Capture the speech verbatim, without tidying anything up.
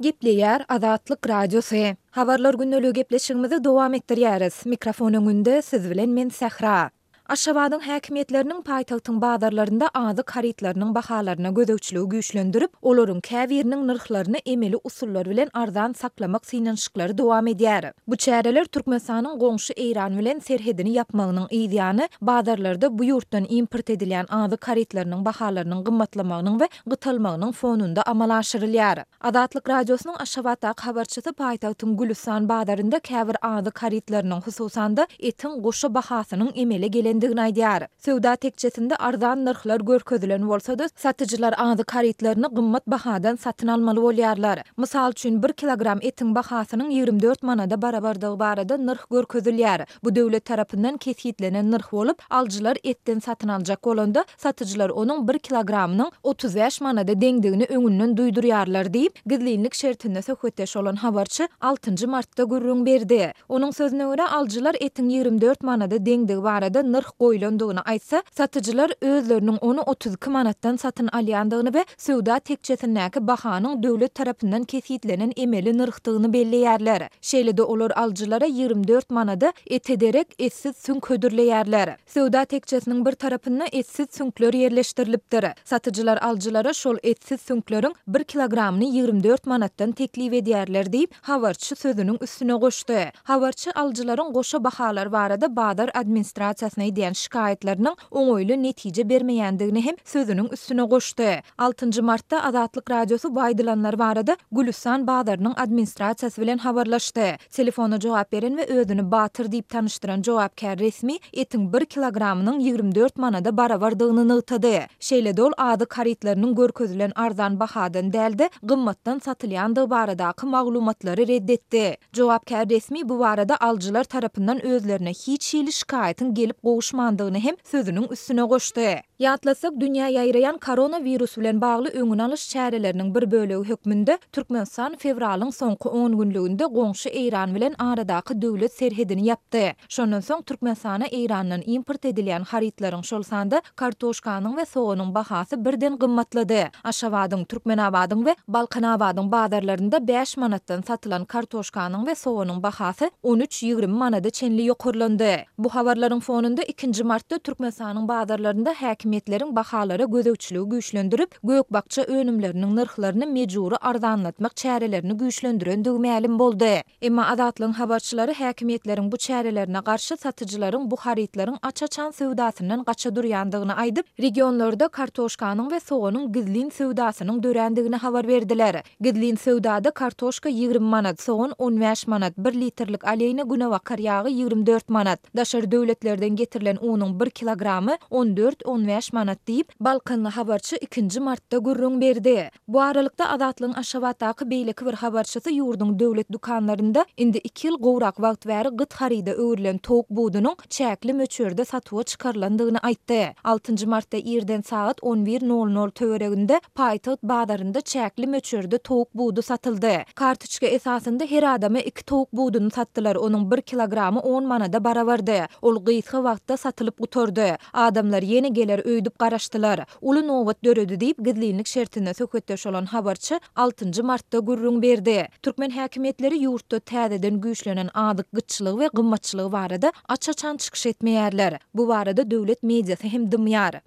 Gepleýär Azatlyk Radiosy. Habarlar gündeligi gepleşigimizi dowam etdirýäris. Mikrofon öňünde siz bilen men Sähra. Aşgabadyň häkimiýetleriniň paýtagtyň bazarlarynda azyk harytlarynyň bahalaryna gözegçiligi güýçlendirip, olaryň käbiriniň nyrhlaryny emeli usullar bilen arzan saklamak synanyşyklary dowam edýär. Bu çäreler Türkmenistanyň goňşy Eýran bilen serhedini ýapmagynyň yzýany bazarlarda bu ýurtdan import edilýän azyk harytlarynyň bahalarynyň gymmatlamagynyň we gytalmagynyň fonunda amala aşyrylýar. Azatlyk Radiosynyň Aşgabatdaky habarçysy paýtagtyň Gülüstan bazarynda käbir azyk harytlarynyň, hususan-da, etiň goşa bahasynyň emele gelendigini aýdýar. Söwda tekjesinde arzan nyrhlar görkezilen bolsa-da, satyjylar azyk harytlaryny gymmat bahadan satyn almaly bolýarlar. Mysal üçin, bir kilogram etiň bahasynyň ýigrimi dört manada barabardygy barada nyrh görkezilýär. Bu döwlet tarapyndan kesgitlenen nyrh bolup, alyjylar etden satyn aljak bolanda, satyjylar onuň bir kilogramynyň otuz bäş manada deňdigini öňünden duýdurýarlar diýip, gizlinlik şertinde söhbetdeş bolan habarçy altynjy martda gürrüň berdi. Onuň sözüne görä, alyjylar etiň ýigrimi dört manada deňdigi barada nyrh goýlandygyny aýtsa, satyjylar özleriniň ony otuz iki manatdan satyn alýandygyny we söwda tekjesindäki bahanyň döwlet tarapyndan kesgitlenen emeli nyrhdygyny belleýärler. Şeýle-de olar alyjylara ýigrimi dört manada ete derek etsiz süňk hödürleýärler. Söwda tekjesiniň bir tarapynda etsiz süňkler ýerleşdirilipdir. Satyjylar alyjylara şol etsiz süňkleriň bir kilogramyny ýigrimi dört manatdan teklip edýärler diýip, habarçy sözüniň üstüne goşdy. Habarçy alyjylaryň goşa bahalar barada bazar administrasiýasyna edýän şikaýatlarynyň oňaýly netije bermeýändigini hem sözüniň üstüne goşdy. Altynjy martda Azatlyk Radiosy bu aýdylanlar barada Gülüstan bazarynyň administrasiýasy bilen habarlaşdy. Telefona jogap beren we özüni Batyr diýip tanyşdyran jogapkär resmi etiň bir kilogramynyň ýigrimi dört manada barabardygyny nygtady. Şeýle-de ol azyk harytlarynyň görkezilen arzan bahadan däl-de, gymmatdan satylýandygy baradaky maglumatlary ret etdi. Jogapkär resmi bu barada alyjylar tarapyndan özlerine hiç hili şikaýatyň gelip gowuşmandygyny hem sözüniň üstüne goşdy. Ýatlatsak, dünýä ýaýraýan koronawirus bilen bagly öňüni alyş çäreleriniň bir bölegi hökmünde Türkmenistan fewralyň soňky on günlüginde goňşy Eýran bilen aradaky döwlet serhedini ýapdy. Şondan soň Türkmenistana Eýrandan import edilýän harytlaryň, şol sanda kartoşkanyň we soganyň bahasy birden gymmatlady. Aşgabadyň, Türkmenabadyň we Balkanabadyň bazarlarynda bäş manatdan satylan kartoşkanyň we soganyň bahasy on üç-ýigrimi manada çenli ýokarlandy. Bu habarlaryň fonunda ikinji martda Türkmenistanyň bazarlarynda häkimiýetleriň bahalara gözegçiligi güýçlendirip, gök-bakja önümleriniň nyrhlaryny mejbury arzanlatmak çärelerini güýçlendirendigi mälim boldy. Emma Azatlygyň habarçylary häkimiýetleriň bu çärelerine garşy satyjylaryň bu harytlaryň aç-açan söwdasyndan gaça durýandygyny aýdyp, regionlarda kartoşkanyň we soganyň gizlin söwdasynyň dörändigini habar berdiler. Gizlin söwdada kartoşka ýigrimi manat, sogan on bäş manat, bir litrlik aleýna günebakar ýagy ýigrimi dört manat, daşary döwletlerden getirilen unuň bir kilogramy on dört-on bäş manat diýip, balkanly habarçy ikinji martda gürrüň berdi. Bu aralykda, Azatlygyň Aşgabatdaky beýleki bir habarçysy ýurduň döwlet dükanlarynda indi iki ýyl gowrak wagt bäri gyt haryda öwrülen towuk budunyň çäkli möçberde satuwa çykarylandygyny aýtdy. Altynjy martda irden sagat on bir nol nol töwereginde paýtagt bazarynda çäkli möçberde towuk budy satyldy. Kartoçka esasynda her adama iki towuk buduny satdylar, onuň bir kilogramy on manada barabardy. Ol gysga wagtda satylyp gutardy. Adamlar ýene geler öýdüp garaşdylar. Uly nobat döredi diýip, gizlinlik şertinde söhbetdeş bolan habarçy altynjy martda gürrüň berdi. Türkmen häkimiýetleri ýurtda täzeden güýçlenen azyk gytçylygy we gymmatçylygy barada aç-açan çykyş etmeýärler. Bu barada döwlet mediasy hem dymýar.